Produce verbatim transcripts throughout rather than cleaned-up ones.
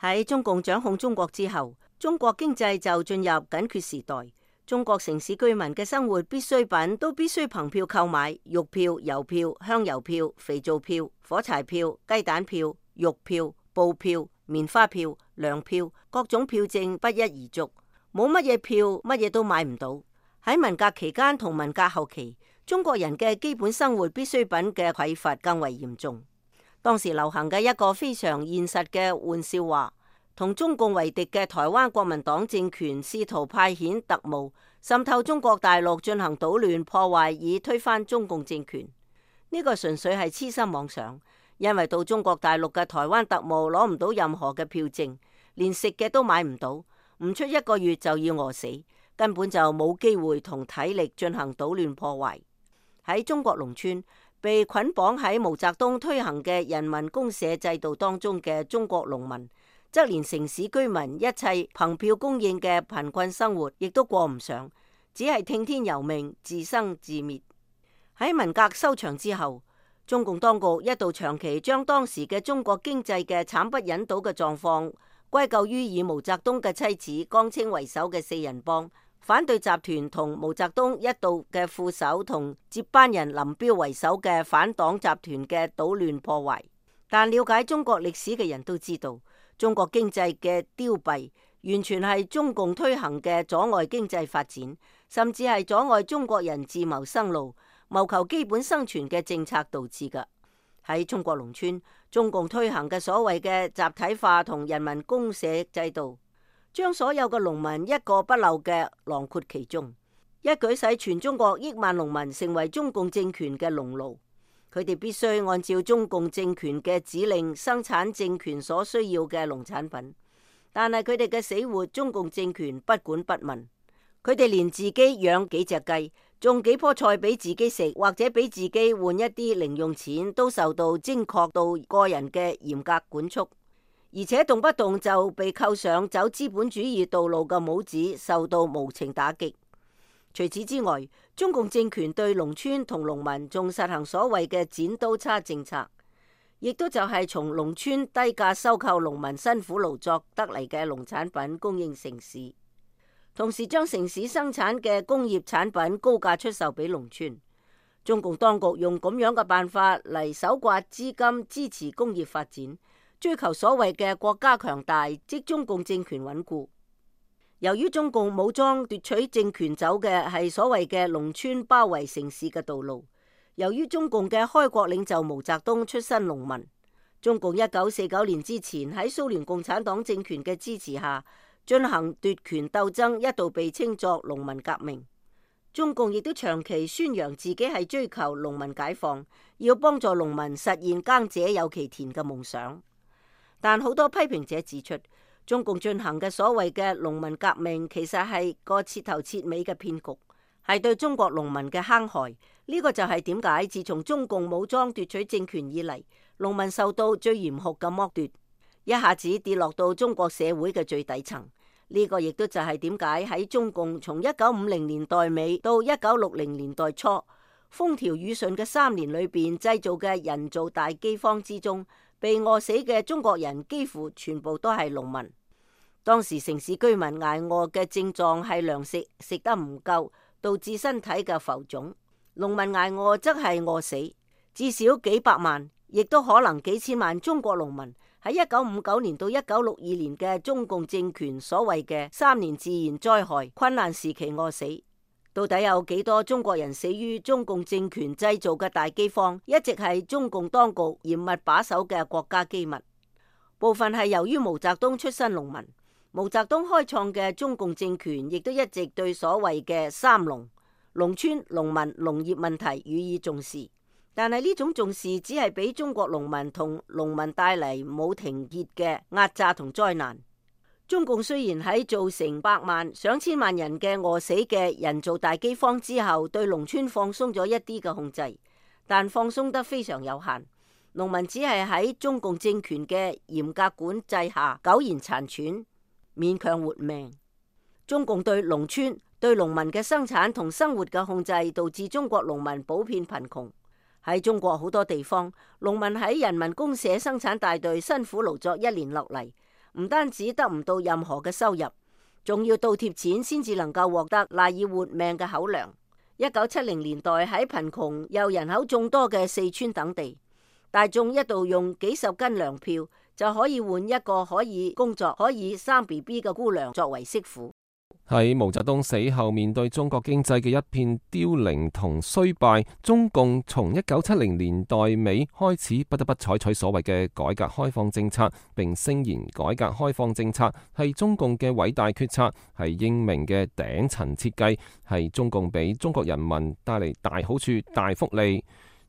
喺中共掌控中國之後，中國經濟就進入緊缺時代。中國城市居民嘅生活必需品都必須憑票購買，肉票、郵票、香油票、肥皂票、火柴票、雞蛋票、肉票、布票、棉花票、糧票，各種票證不一而足，冇乜嘢票，乜嘢都買唔到。喺文革期間同文革後期，中國人嘅基本生活必需品嘅匱乏更為嚴重。當時流行嘅一個非常現實嘅玩笑話，同中共為敵嘅台灣國民黨政權試圖派遣特務滲透中國大陸進行搗亂破壞，以推翻中共政權。呢個純粹係痴心妄想，因為到中國大陸嘅台灣特務攞唔到任何嘅票證，連食嘅都買唔到，唔出一個月就要餓死，根本就冇機會同體力進行搗亂破壞。喺中國農村，被捆綁喺毛澤東推行嘅人民公社制度當中嘅中國農民，則連城市居民一切憑票供應嘅貧困生活亦都過唔上，只係聽天由命，自生自滅。喺文革收場之後，中共當局一度長期將當時嘅中國經濟嘅慘不忍睹嘅狀況歸咎於以毛澤東嘅妻子江青為首嘅四人幫、反對集團同毛澤東一度嘅副手同接班人林彪為首嘅反黨集團嘅搗亂破壞。但了解中國歷史嘅人都知道，中國經濟嘅凋敝完全係中共推行嘅阻礙經濟發展，甚至係阻礙中國人自謀生路、謀求基本生存嘅政策導致㗎。喺中國農村，中共推行嘅所謂嘅集體化同人民公社制度，將所有嘅農民一個不漏嘅囊括其中，一舉使全中國億萬農民成為中共政權嘅農奴。佢哋必須按照中共政權嘅指令生產政權所需要嘅農產品，但係佢哋嘅死活，中共政權不管不問。佢哋連自己養幾隻雞、種幾棵菜俾自己食，或者俾自己換一啲零用錢，都受到精確到個人嘅嚴格管束，而且動不動就被扣上走資本主義道路嘅帽子，受到無情打擊。除此之外，中共政權對農村同農民仲實行所謂嘅剪刀差政策，亦都就係從農村低價收購農民辛苦勞作得嚟嘅農產品供應城市，同時將城市生產嘅工業產品高價出售俾農村。中共當局用咁樣嘅辦法嚟搜刮資金，支持工業發展，追求所謂嘅國家強大，即中共政權穩固。由於中共武裝奪取政權走嘅係所謂嘅農村包圍城市嘅道路，由於中共嘅開國領袖毛澤東出身農民，中共一九四九年之前喺蘇聯共產黨政權嘅支持下進行奪權鬥爭，一度被稱作農民革命。中共亦都長期宣揚自己係追求農民解放，要幫助農民實現耕者有其田嘅夢想。但好多批評者指出，中共進行嘅所謂嘅農民革命，其實係個徹頭徹尾嘅騙局，係對中國農民嘅坑害。呢個就係點解自從中共武裝奪取政權以嚟，農民受到最嚴酷嘅剝奪，一下子跌落到中國社會嘅最底層。呢個亦都就係點解喺中共從一九五零年代尾到一九六零年代初風調雨順嘅三年裏邊製造嘅人造大饑荒之中，被餓死嘅中國人幾乎全部都係農民。當時城市居民捱餓嘅症狀係糧食食得唔夠，導致身體嘅浮腫；農民捱餓則係餓死。至少幾百萬，亦都可能幾千萬中國農民喺一九五九年到一九六二年嘅中共政權所謂嘅三年自然災害困難時期餓死。到底有幾多中國人死於中共政權製造嘅大饑荒，一直係中共當局嚴密把守嘅國家機密。部分係由於毛澤東出身農民，毛澤東開創嘅中共政權亦都一直對所謂嘅三農、農村、農民、農業問題予以重視。但係呢種重視只係俾中國農民同農民帶嚟冇停歇嘅壓榨同災難。中共雖然喺造成百萬上千萬人嘅餓死嘅人造大饑荒之後，對農村放鬆咗一啲嘅控制，但放鬆得非常有限。農民只係喺中共政權嘅嚴格管制下苟延殘喘，勉強活命。中共對農村、對農民嘅生產同生活嘅控制，導致中國農民普遍貧窮。喺中國好多地方，農民喺人民公社生產大隊辛苦勞作一年落嚟，唔單止得唔到任何嘅收入，仲要倒貼錢先至能夠獲得賴以活命嘅口糧。一九七零年代喺貧窮又人口眾多嘅四川等地，大眾一度用幾十斤糧票就可以換一個可以工作、可以生 B B 嘅姑娘作為媳婦。喺毛澤東死後，面對中國經濟嘅一片凋零同衰敗，中共從一九七零年代尾開始不得不採取所謂嘅改革開放政策，並聲言改革開放政策係中共嘅偉大決策，係英明嘅頂層設計，係中共俾中國人民帶嚟大好處、大福利。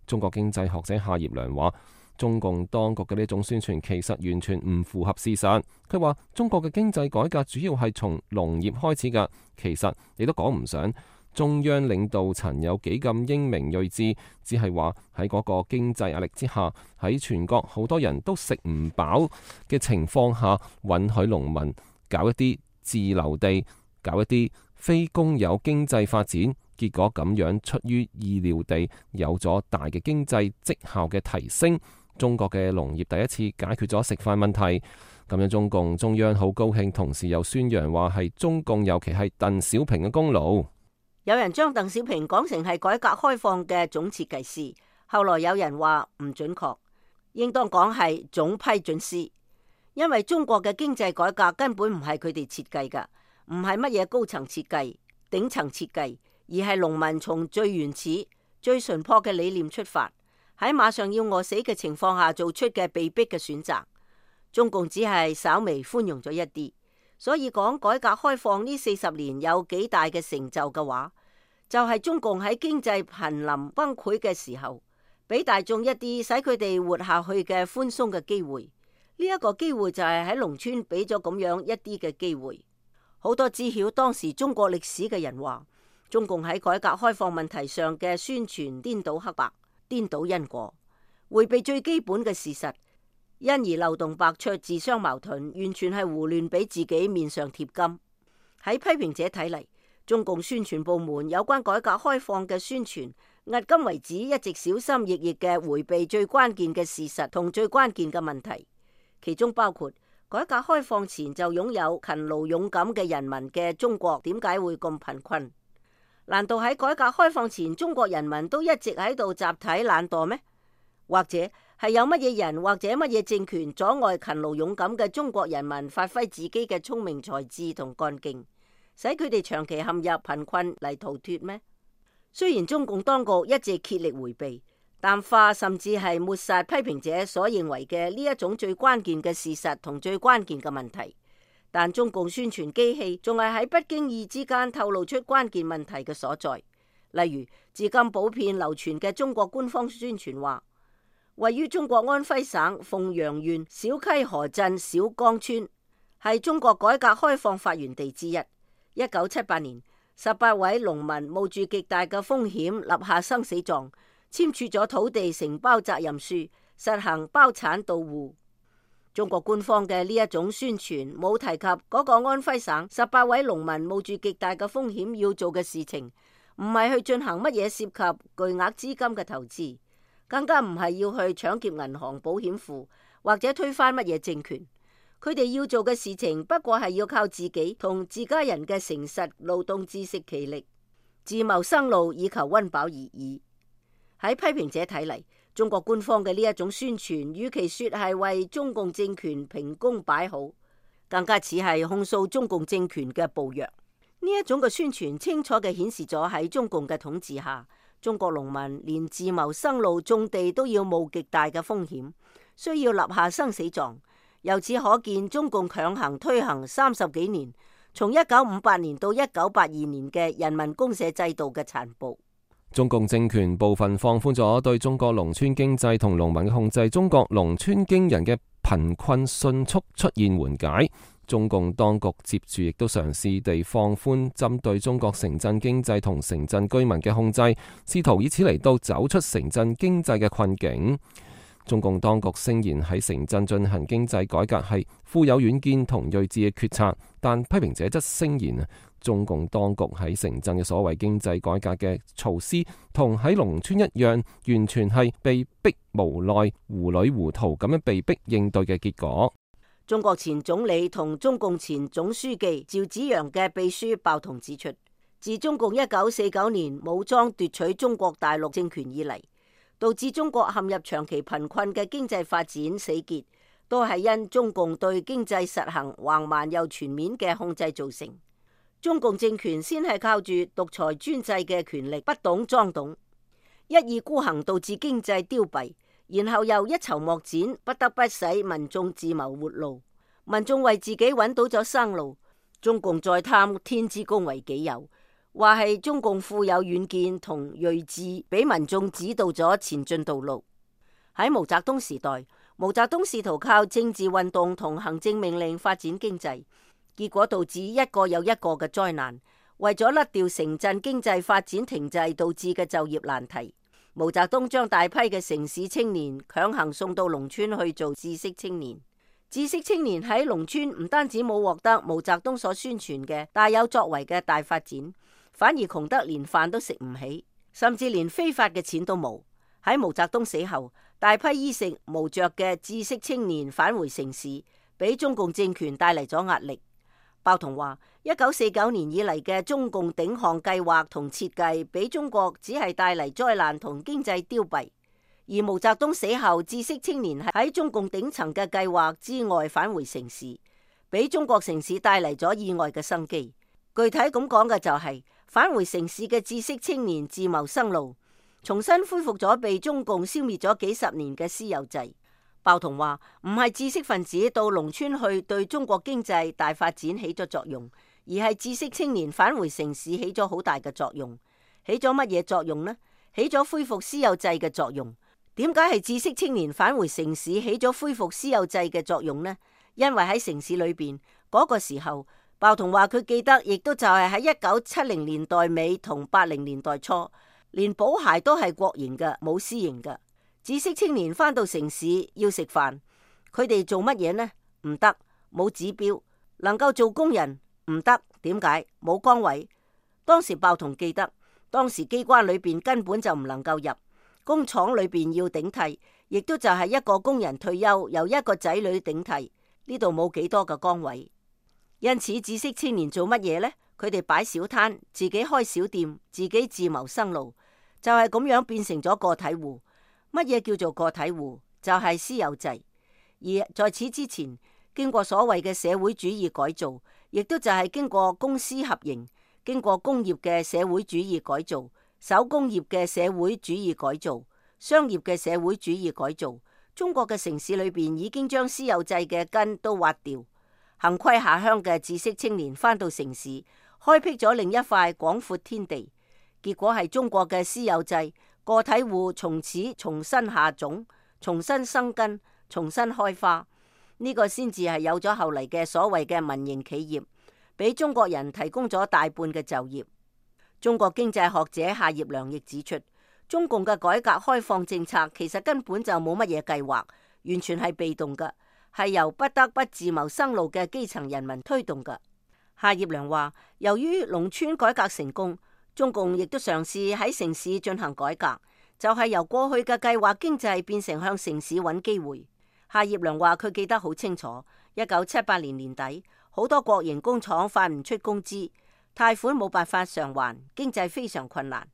中國經濟學者夏業良話，中共當局嘅呢種宣傳其實完全唔符合事實。佢話中國嘅經濟改革主要係從農業開始㗎，其實你都講唔上中央領導層有幾咁英明睿智，只係話喺嗰個經濟壓力之下，喺全國好多人都食唔飽嘅情況下，允許農民搞一啲自留地，搞一啲非公有經濟發展。結果咁樣出於意料地有咗大嘅經濟績效嘅提升，中國嘅農業第一次解決咗食飯問題。咁樣中共中央好高興，同時又宣揚話係中共尤其係鄧小平嘅功勞。有人將鄧小平講成係改革開放嘅總設計師，後來有人話唔準確，應當講係總批准師，因為中國嘅經濟改革根本唔係佢哋設計噶，唔係乜嘢高層設計、頂層設計，而係農民從最原始、最純樸嘅理念出發，喺馬上要餓死嘅情況下做出嘅被逼嘅選擇。中共只係稍微寬容咗一啲，所以講改革開放呢四十年有幾大嘅成就嘅話，就係中共喺經濟瀕臨崩潰嘅時候，俾大眾一啲使佢哋活下去嘅寬鬆嘅機會。呢一個機會就係喺農村俾咗咁樣一啲嘅機會。好多知曉當時中國歷史嘅人話，中共喺改革開放問題上嘅宣傳顛倒黑白、顛倒因果，迴避最基本嘅事實，因而漏洞百出、自相矛盾，完全係胡亂俾自己面上貼金。喺批評者睇嚟，中共宣傳部門有關改革開放嘅宣傳，迄今為止一直小心翼翼嘅迴避最關鍵嘅事實同最關鍵嘅問題，其中包括改革開放前就擁有勤勞勇敢嘅人民嘅中國點解會咁貧困？難道喺改革開放前中國人民都一直喺度集體懶惰咩？或者係有乜嘢人或者乜嘢政權阻礙勤勞勇敢嘅中國人民發揮自己嘅聰明才智同幹勁，使佢哋長期陷入貧困嚟逃脫咩？雖然中共當局一直竭力迴避、淡化甚至係抹殺批評者所認為嘅呢一種最關鍵嘅事實同最關鍵嘅問題，但中共宣傳機器仲係喺不經意之間透露出關鍵問題嘅所在。例如，至今普遍流傳嘅中國官方宣傳話，位於中國安徽省鳳陽縣小溪河鎮小江村，係中國改革開放發源地之一。一九七八年，十八位農民冒住極大嘅風險，立下生死狀，簽署咗土地承包責任書，實行包產到戶。中國官方嘅呢一種宣傳冇提及嗰個安徽省十八位農民冒住極大嘅風險要做嘅事情，唔係去進行乜嘢涉及巨額資金嘅投資，更加唔係要去搶劫銀行、保險庫或者推翻乜嘢政權。佢哋要做嘅事情不過係要靠自己同自家人嘅誠實勞動自食其力，自謀生路以求溫飽而已。喺批評者睇嚟，中國官方嘅呢一種宣傳，與其說係為中共政權評功擺好，更加似係控訴中共政權嘅暴虐。呢一種嘅宣傳清楚嘅顯示咗喺中共嘅統治下，中國農民連自謀生路種地都要冒極大嘅風險，需要立下生死狀。由此可見，中共強行推行三十幾年，從一九五八年到一九八二年嘅人民公社制度嘅殘暴。中共政權部分放寬咗對中國農村經濟同農民嘅控制，中國農村驚人嘅貧困迅速出現緩解。中共當局接住亦都嘗試地放寬針對中國城鎮經濟同城鎮居民嘅控制，試圖以此嚟到走出城鎮經濟嘅困境。中共當局聲言喺城鎮進行經濟改革係富有遠見同睿智嘅決策，但批評者則聲言啊，中共當局喺城鎮嘅所謂經濟改革嘅措施，同喺農村一樣，完全係被逼無奈、糊裏糊塗咁樣被逼應對嘅結果。中國前總理同中共前總書記趙紫陽嘅秘書鮑彤指出，自中共一九四九年武裝奪取中國大陸政權以嚟，導致中國陷入長期貧困嘅經濟發展死結，都係因中共對經濟實行橫蠻又全面嘅控制造成。中共政權先係靠住獨裁專制嘅權力不懂裝懂，一意孤行，導致經濟凋敝。然後又一籌莫展，不得不使民眾自謀活路。民眾為自己揾到咗生路，中共再貪天之功為己有，話係中共富有遠見同睿智，俾民眾指導咗前進道路。喺毛澤東時代，毛澤東試圖靠政治運動同行政命令發展經濟，結果導致一個又一個嘅災難。為咗甩掉城鎮經濟發展停滯導致嘅就業難題，毛澤東將大批嘅城市青年強行送到農村去做知識青年。知識青年喺農村唔單止冇獲得毛澤東所宣傳嘅大有作為嘅大發展，反而窮得連飯都食唔起，甚至連非法嘅錢都冇。喺毛澤東死後，大批衣食無着嘅知識青年返回城市，俾中共政權帶嚟咗壓力。鮑彤話：一九四九年以嚟嘅中共頂項計劃同設計，俾中國只係帶嚟災難同經濟凋敝。而毛澤東死後，知識青年喺中共頂層嘅計劃之外返回城市，俾中國城市帶嚟咗意外嘅生機。具體咁講嘅就係、是、返回城市嘅知識青年自謀生路，重新恢復咗被中共消滅咗幾十年嘅私有制。鮑彤話：唔係知識分子到農村去對中國經濟大發展起咗作用，而係知識青年返回城市起咗好大嘅作用。起咗乜嘢作用呢？起咗恢復私有制嘅作用。點解係知識青年返回城市起咗恢復私有制嘅作用呢？因為喺城市裏邊嗰個時候，鮑彤話佢記得，亦都就係喺一九七零年代尾同八零年代初，連保鞋都係國營嘅，冇私營嘅。知識青年返到城市要食飯，佢哋做乜嘢呢？唔得，冇指標。能夠做工人唔得，點解？冇崗位。當時鮑彤記得，當時機關裏邊根本就唔能夠入，工廠裏邊要頂替，亦都就係一個工人退休，由一個仔女頂替，呢度冇幾多個崗位。因此，知識青年做乜嘢呢？佢哋擺小攤，自己開小店，自己自謀生路，就係咁樣變成咗個體戶。乜嘢叫做個體戶？就係私有制。而在此之前，經過所謂嘅社會主義改造，亦都就係經過公私合營，經過工業嘅社會主義改造、手工業嘅社會主義改造、商業嘅社會主義改造，中國嘅城市裏邊已經將私有制嘅根都挖掉。幸虧下鄉嘅知識青年返到城市，開闢咗另一塊廣闊天地。結果係中國嘅私有制，個體戶從此重新下種，重新生根，重新開花。呢、這個先至係有咗後嚟嘅所謂嘅民營企業，俾中國人提供咗大半嘅就業。中國經濟學者夏業良亦指出，中共嘅改革開放政策其實根本就冇乜嘢計劃，完全係被動嘅，係由不得不自謀生路嘅基層人民推動嘅。夏業良話，由於農村改革成功，中共亦都嘗試喺城市進行改革，就係由過去嘅計劃經濟變成向城市揾機會。夏業良話佢記得好清楚，一九七八年年底，好多國營工廠發唔出工資，貸款冇辦法償還，經濟非常困難。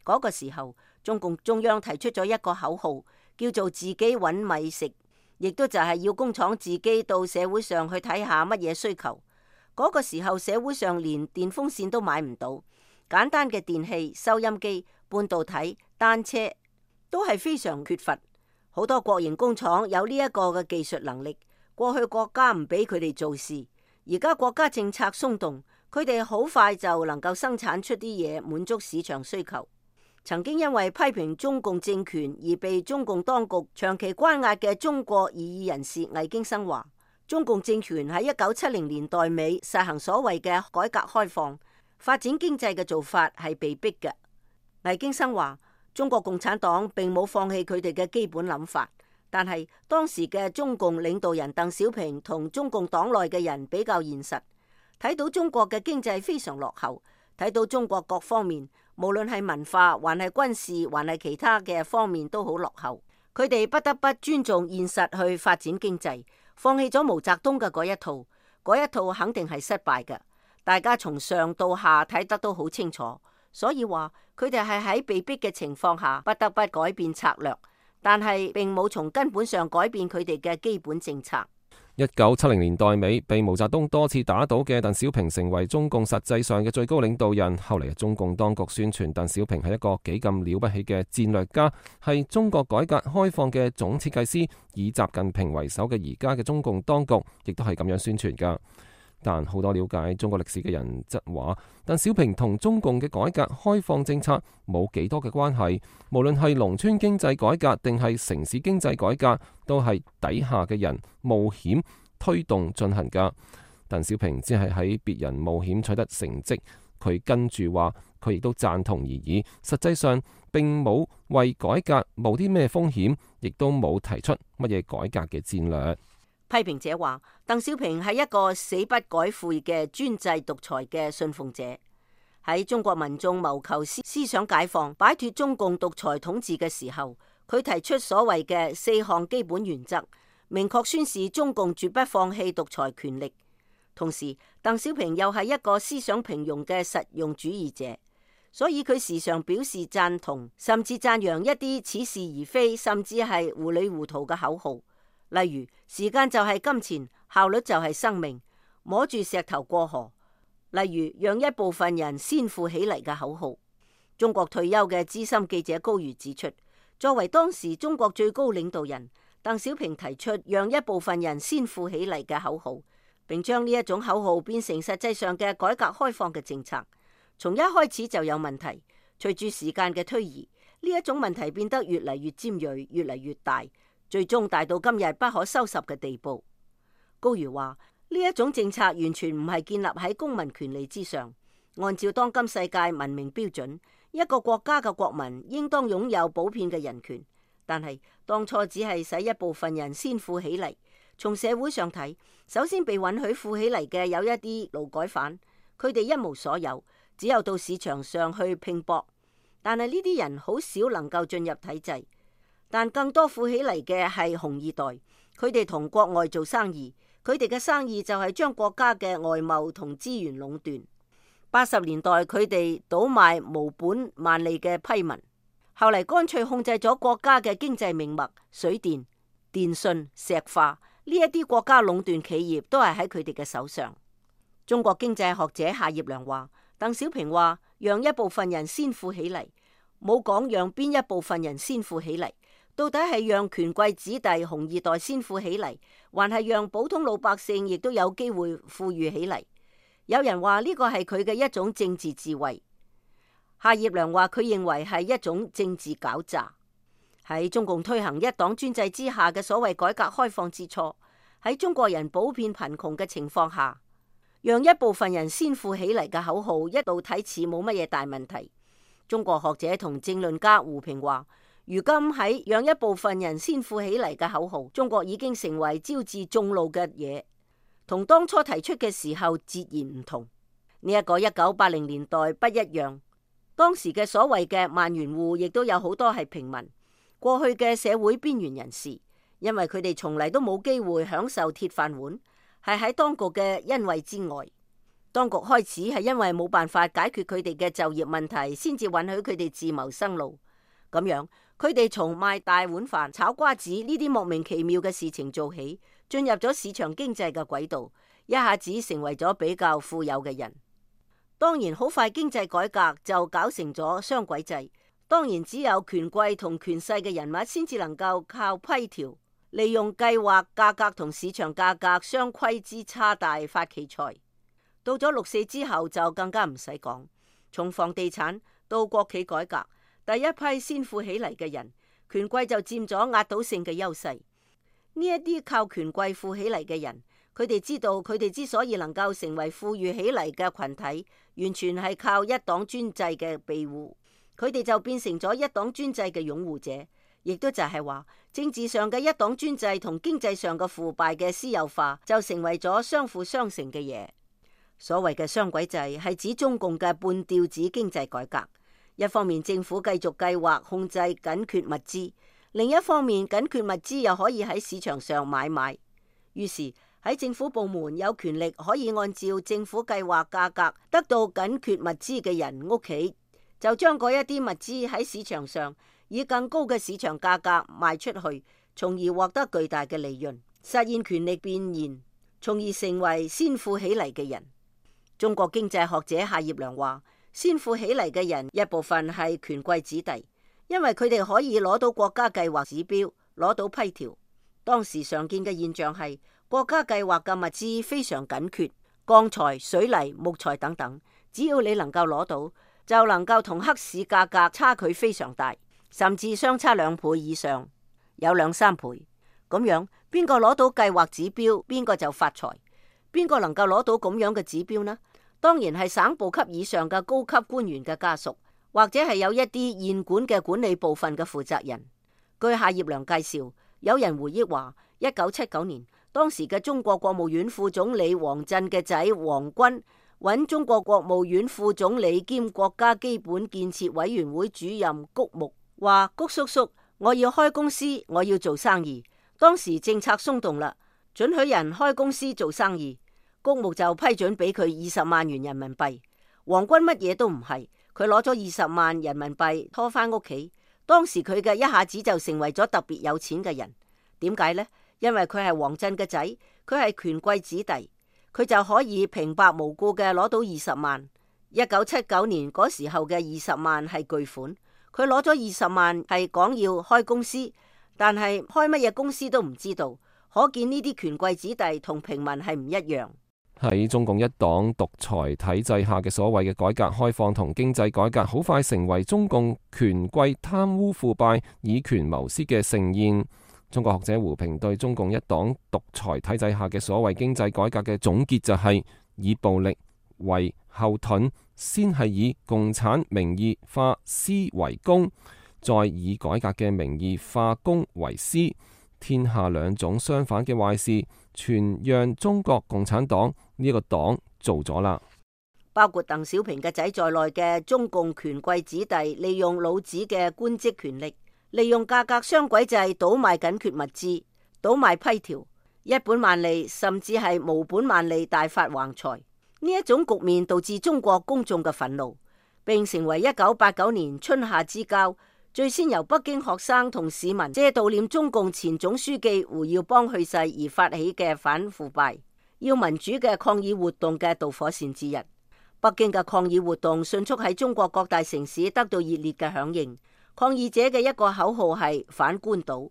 嗰個時候，中共中央提出咗一個口號，叫做自己揾米食，亦都就係要工廠自己到社會上去睇下乜嘢需求。嗰個時候，社會上連電風扇都買唔到。簡單嘅電器、收音機、半導體、單車都係非常缺乏。好多國營工廠有呢一個嘅技術能力，過去國家唔俾佢哋做事，而家國家政策鬆動，佢哋好快就能夠生產出啲嘢，滿足市場需求。曾經因為批評中共政權而被中共當局長期關押嘅中國異議人士魏京生話，中共政權喺一九七零年代尾實行所謂嘅改革開放，發展經濟嘅做法係被逼嘅。魏京生話，中國共產黨並冇放棄佢哋嘅基本諗法，但係當時嘅中共領導人鄧小平同中共黨內嘅人比較現實，睇到中國嘅經濟非常落後，睇到中國各方面無論係文化還係軍事還係其他嘅方面都好落後，佢哋不得不尊重現實去發展經濟，放棄咗毛澤東嘅嗰一套，嗰一套肯定係失敗嘅。大家從上到下睇得都好清楚，所以話佢哋係喺被逼嘅情況下不得不改變策略，但係並冇從根本上改變佢哋嘅基本政策。一九七零年代尾，被毛澤東多次打倒嘅鄧小平成為中共實際上嘅最高領導人。後嚟中共當局宣傳鄧小平係一個幾咁了不起嘅戰略家，係中國改革開放嘅總設計師。以習近平為首嘅而家嘅中共當局，亦都係咁樣宣傳噶。但好多了解中國歷史嘅人則話，鄧小平同中共嘅改革開放政策冇幾多嘅關係。無論係農村經濟改革定係城市經濟改革，都係底下嘅人冒險推動進行噶。鄧小平只係喺別人冒險取得成績，佢跟住話佢亦都贊同而已。實際上並冇為改革冒啲咩風險，亦都冇提出乜嘢改革嘅戰略。批評者話，鄧小平係一個死不改悔嘅專制獨裁嘅信奉者。喺中國民眾謀求思思想解放、擺脫中共獨裁統治嘅時候，佢提出所謂嘅四項基本原則，明確宣示中共絕不放棄獨裁權力。同時，鄧小平又係一個思想平庸嘅實用主義者，所以佢時常表示贊同，甚至讚揚一啲似是而非，甚至係糊裏糊塗嘅口號。例如，時間就係金錢，效率就係生命，摸住石頭過河。例如，讓一部分人先富起嚟嘅口號。中國退休嘅資深記者高瑜指出，作為當時中國最高領導人，鄧小平提出讓一部分人先富起嚟嘅口號，並將呢一種口號變成實際上嘅改革開放嘅政策。從一開始就有問題，隨住時間嘅推移，呢一種問題變得越嚟越尖銳，越嚟越大。最終大到今日不可收拾嘅地步。高瑜話：呢一種政策完全唔係建立喺公民權利之上。按照當今世界文明標準，一個國家嘅國民應當擁有普遍嘅人權。但係當初只係使一部分人先富起嚟。從社會上睇，首先被允許富起嚟嘅有一啲勞改犯，佢哋一無所有，只有到市場上去拼搏。但係呢啲人好少能夠進入體制。但更多富起嚟嘅係紅二代，佢哋同國外做生意，佢哋嘅生意就係將國家嘅外貿同資源壟斷。八十年代佢哋倒賣無本萬利嘅批文，後嚟乾脆控制咗國家嘅經濟命脈，水電、電信、石化呢一啲國家壟斷企業都係喺佢哋嘅手上。中國經濟學者夏業良話，鄧小平話讓一部分人先富起嚟，冇講讓邊一部分人先富起嚟。到底係讓權貴子弟紅二代先富起嚟，還係讓普通老百姓亦都有機會富裕起嚟？有人話呢個係佢嘅一種政治智慧。夏業良話佢認為係一種政治狡詐。喺中共推行一黨專制之下嘅所謂改革開放之初，喺中國人普遍貧窮嘅情況下，讓一部分人先富起嚟嘅口號一度睇似冇乜嘢大問題。中國學者同政論家胡平話，如今喺讓一部分人先富起嚟嘅口號，中國已經成為招致眾怒嘅嘢，同當初提出嘅時候截然唔同。呢、這、一個一九八零年代不一樣，當時嘅所謂嘅萬元戶亦都有好多係平民，過去嘅社會邊緣人士，因為佢哋從嚟都冇機會享受鐵飯碗，係喺當局嘅恩惠之外。當局開始係因為冇辦法解決佢哋嘅就業問題，先至允許佢哋自謀生路。咁樣，佢哋從賣大碗飯、炒瓜子呢啲莫名其妙嘅事情做起，進入咗市場經濟嘅軌道，一下子成為咗比較富有嘅人。當然，好快經濟改革就搞成咗雙軌制。當然，只有權貴同權勢嘅人物先至能夠靠批條，利用計劃價格同市場價格相規之差大發其財。到咗六四之後就更加唔使講，從房地產到國企改革，第一批先富起嚟嘅人，權貴就佔咗壓倒性嘅優勢。呢一啲靠權貴富起嚟嘅人，佢哋知道佢哋之所以能夠成為富裕起嚟嘅群體，完全係靠一黨專制嘅庇護，佢哋就變成咗一黨專制嘅擁護者，亦都就係話政治上嘅一黨專制同經濟上嘅腐敗嘅私有化，就成為咗相輔相成嘅嘢。所謂嘅雙軌制係指中共嘅半吊子經濟改革。一方面政府繼續計劃控制緊缺物資，另一方面緊缺物資又可以喺市場上買賣。於是喺政府部門有權力可以按照政府計劃價格得到緊缺物資嘅人屋企，就將嗰一啲物資喺市場上以更高嘅市場價格賣出去，從而獲得巨大嘅利潤，實現權力變現，從而成為先富起嚟嘅人。中國經濟學者夏業良話，先富起嚟嘅人一部分係權貴子弟，因為佢哋可以攞到國家計劃指標，攞到批條。當時常見嘅現象係國家計劃嘅物資非常緊缺，鋼材、水泥、木材等等，只要你能夠攞到，就能夠同黑市價格差距非常大，甚至相差兩倍以上，有兩三倍。咁樣邊個攞到計劃指標，邊個就發財。邊個能夠攞到咁樣嘅指標呢？當然係省部級以上嘅高級官員嘅家屬，或者係有一啲現管嘅管理部分嘅負責人。據夏業良介紹，有人回憶話，一九七九年，當時嘅中國國務院副總理王震嘅仔王軍揾中國國務院副總理兼國家基本建設委員會主任谷牧，話谷叔叔，我要開公司，我要做生意。當時政策鬆動啦，准許人開公司做生意，谷牧就批准俾佢二十萬元人民幣。王軍乜嘢都唔係，佢攞咗二十萬人民幣拖翻屋企。當時佢嘅一下子就成為咗特別有錢嘅人。點解呢？因為佢係王震嘅仔，佢係權貴子弟，佢就可以平白無故嘅攞到二十萬。一九七九年嗰時候嘅二十萬係巨款，佢攞咗二十萬係講要開公司，但係開乜嘢公司都唔知道。可見呢啲權貴子弟同平民係唔一樣。喺中共一黨獨裁體制下嘅所謂嘅改革開放同經濟改革，好快成為中共權貴貪污腐敗、以權謀私嘅盛宴。中國學者胡平對中共一黨獨裁體制下嘅所謂經濟改革嘅總結就係、是、以暴力為後盾，先係以共產名義化私為公，再以改革嘅名義化公為私。天下兩種相反嘅壞事，全讓中國共產黨呢個黨做咗啦。包括鄧小平嘅仔在內嘅中共權貴子弟，利用老子嘅官職權力，利用價格雙軌制倒賣緊缺物資，倒賣批條，一本萬利甚至係無本萬利大發橫財。呢一種局面導致中國公眾嘅憤怒，並成為一九八九年春夏之交最先由北京學生同市民借悼念中共前總書記胡耀邦去世而發起嘅反腐敗、要民主嘅抗議活動嘅導火線之一。北京嘅抗議活動迅速喺中國各大城市得到熱烈嘅響應。抗議者嘅一個口號係反官倒。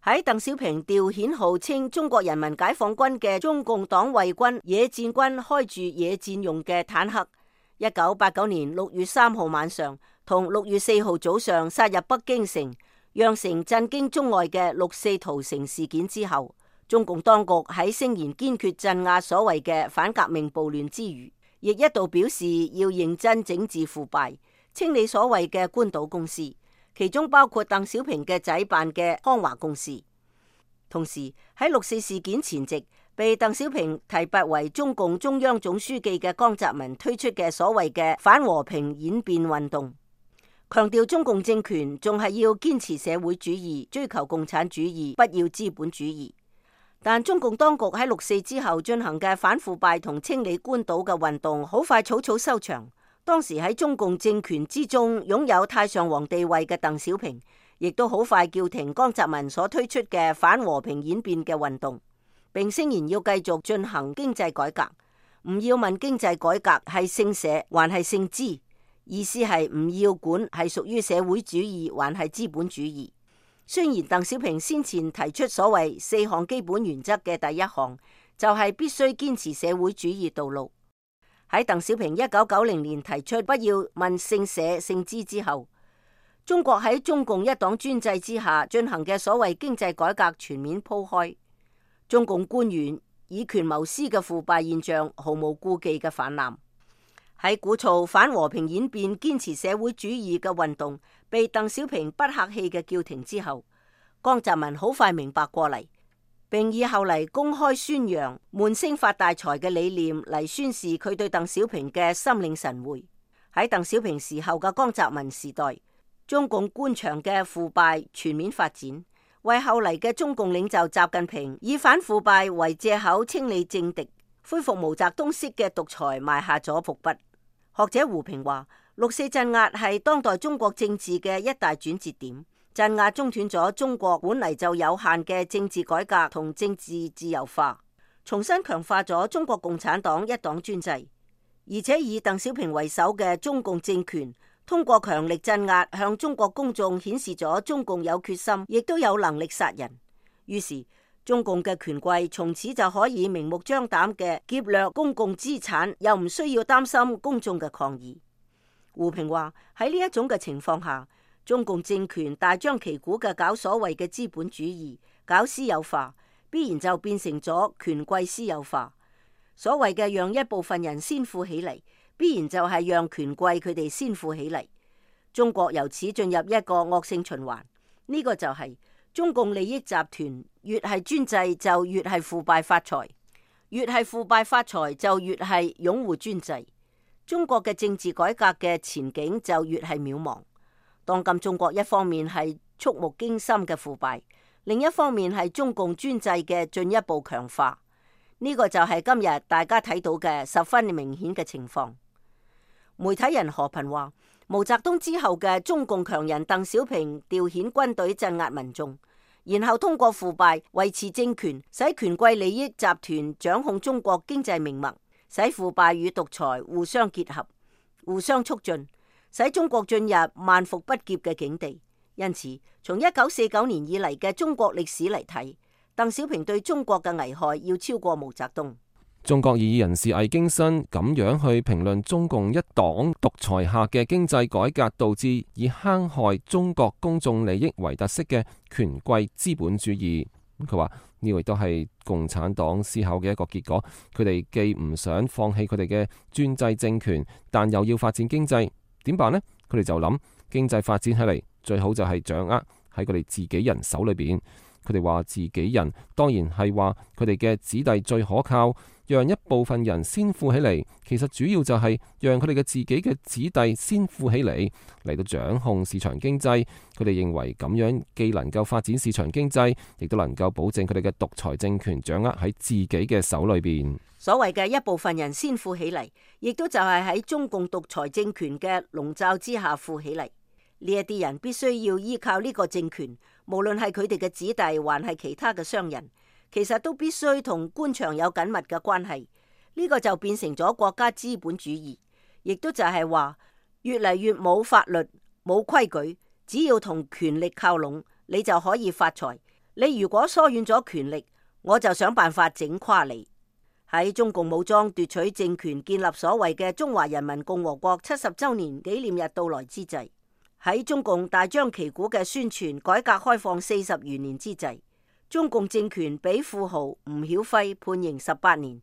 喺鄧小平調遣號稱中國人民解放軍嘅中共黨衛軍野戰軍開住野戰用嘅坦克，一九八九年六月三號晚上同六月四號早上殺入北京城，釀成震驚中外嘅六四屠城事件之後，中共當局喺聲言堅決鎮壓所謂嘅反革命暴亂之餘，亦一度表示要認真整治腐敗，清理所謂嘅官倒公司，其中包括鄧小平嘅仔辦嘅康華公司。同時喺六四事件前夕，被鄧小平提拔為中共中央總書記嘅江澤民推出嘅所謂嘅反和平演變運動，強調中共政權仲係要堅持社會主義，追求共產主義，不要資本主義。但中共當局喺六四之後進行嘅反腐敗同清理官倒嘅運動，好快草草收場。當時喺中共政權之中擁有太上皇地位嘅鄧小平，亦都好快叫停江澤民所推出嘅反和平演變嘅運動，並聲言要繼續進行經濟改革。唔要問經濟改革係姓社還係姓資，意思係唔要管係屬於社會主義還係資本主義。雖然鄧小平先前提出所謂四項基本原則嘅第一項，就係必須堅持社會主義道路。喺鄧小平一九九零年提出不要問姓社姓資之後，中國喺中共一黨專制之下進行嘅所謂經濟改革全面鋪開，中共官員以權謀私嘅腐敗現象毫無顧忌嘅泛濫。喺鼓噪反和平演變、堅持社會主義嘅運動被鄧小平不客氣嘅叫停之後，江澤民好快明白過嚟，並以後嚟公開宣揚悶聲發大財嘅理念嚟宣示佢對鄧小平嘅心領神會。喺鄧小平時候嘅江澤民時代，中共官場嘅腐敗全面發展，為後嚟嘅中共領袖習近平以反腐敗為借口清理政敵，恢復毛澤東式嘅獨裁埋下咗伏筆。學者胡平話，六四鎮壓係當代中國政治嘅一大轉折點，鎮壓中斷咗中國本嚟就有限嘅政治改革同政治自由化，重新強化咗中國共產黨一黨專制，而且以鄧小平為首嘅中共政權通過強力鎮壓向中國公眾顯示咗中共有決心，亦都有能力殺人。於是中共嘅權貴從此就可以明目張膽嘅劫掠公共資產，又唔需要擔心公眾嘅抗議。胡平話，喺呢一種嘅情況下，中共政權大張旗鼓嘅搞所謂嘅資本主義，搞私有化，必然就變成咗權貴私有化。所謂嘅讓一部分人先富起嚟，必然就係讓權貴佢哋先富起嚟。中國由此進入一個惡性循環，呢個就係中共利益集團越係專制就越係腐敗發財，越係腐敗發財就越係擁護專制。中國嘅政治改革嘅前景就越係渺茫。當今中國一方面係觸目驚心嘅腐敗，另一方面係中共專制嘅進一步強化。呢個就係今日大家睇到嘅十分明顯嘅情況。媒體人何頻話，毛澤東之後嘅中共強人鄧小平調遣軍隊鎮壓民眾，然後通過腐敗維持政權，使權貴利益集團掌控中國經濟命脈，使腐敗與獨裁互相結合、互相促進，使中國進入萬復不劫嘅境地。因此，從一九四九年以嚟嘅中國歷史嚟睇，鄧小平對中國嘅危害要超過毛澤東。中國異議人士魏京新咁樣去評論中共一黨獨裁下嘅經濟改革導致以坑害中國公眾利益為特色嘅權貴資本主義。佢話呢個亦都係共產黨思考嘅一個結果。佢哋既唔想放棄佢哋嘅專制政權，但又要發展經濟，點辦呢？佢哋就諗經濟發展起嚟最好就係掌握喺佢哋自己人手裏邊。佢哋話自己人當然係話佢哋嘅子弟最可靠，讓一部分人先富起嚟，其實主要就係讓佢哋嘅自己嘅子弟先富起嚟，嚟到掌控市場經濟。佢哋認為咁樣既能夠發展市場經濟，亦都能夠保證佢哋嘅獨裁政權掌握喺自己嘅手裏邊。所謂嘅一部分人先富起嚟，亦都就係喺中共獨裁政權嘅籠罩之下富起嚟。呢一啲人必須要依靠呢個政權，無論係佢哋嘅子弟，還係其他嘅商人，其實都必須同官場有緊密嘅關係。呢個就變成咗國家資本主義，亦都就係話越嚟越冇法律、冇規矩，只要同權力靠攏，你就可以發財。你如果疏遠咗權力，我就想辦法整垮你。喺中共武裝奪取政權，建立所謂嘅中華人民共和國七十周年紀念日到來之際，喺中共大張旗鼓嘅宣傳改革開放四十餘年之際，中共政權俾富豪吳曉輝判刑十八年，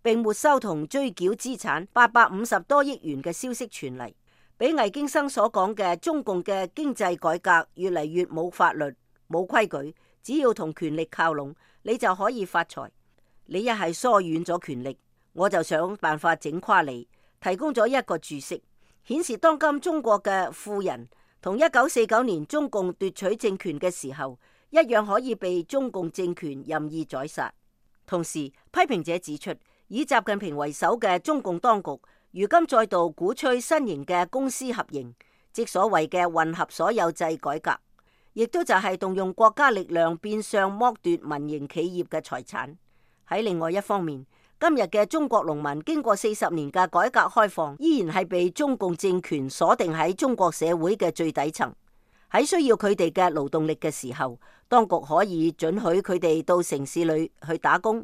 並沒收同追繳資產八百五十多億元嘅消息傳嚟，比魏京生所講嘅中共嘅經濟改革越嚟越冇法律、冇規矩，只要同權力靠攏，你就可以發財。你一係疏遠咗權力，我就想辦法整垮你。提供咗一個注釋，顯示當今中國嘅富人同一九四九年中共奪取政權嘅時候一樣，可以被中共政權任意宰殺。同時，批評者指出，以習近平為首嘅中共當局如今再度鼓吹新型嘅公私合營，即所謂嘅混合所有制改革，亦都就係動用國家力量變相剝奪民營企業嘅財產。喺另外一方面，今日嘅中國農民經過四十年嘅改革開放，依然係被中共政權鎖定喺中國社會嘅最底層。喺需要佢哋嘅勞動力嘅時候，當局可以准許佢哋到城市裏去打工；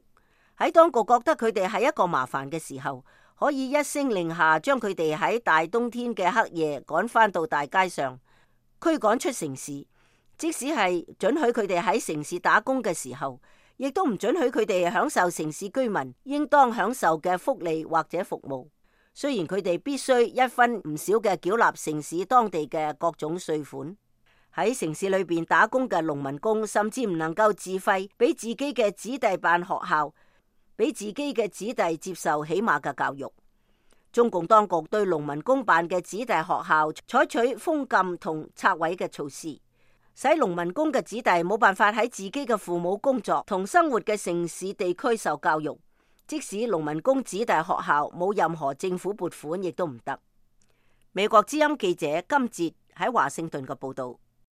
喺當局覺得佢哋係一個麻煩嘅時候，可以一聲令下將佢哋喺大冬天嘅黑夜趕返到大街上，驅趕出城市。即使係准許佢哋喺城市打工嘅時候，亦都唔准許佢哋享受城市居民應當享受嘅福利或者服務。雖然佢哋必須一分唔少嘅繳納城市當地嘅各種稅款，喺城市裏邊打工嘅農民工甚至唔能夠自費俾自己嘅子弟辦學校，俾自己嘅子弟接受起碼嘅教育。中共當局對農民工辦嘅子弟學校採取封禁同拆毀嘅措施，使農民工嘅子弟冇辦法喺自己嘅父母工作同生活嘅城市地區受教育，即使農民工子弟學校冇任何政府撥款，亦都唔得。美國之音記者金哲喺華盛頓嘅報道。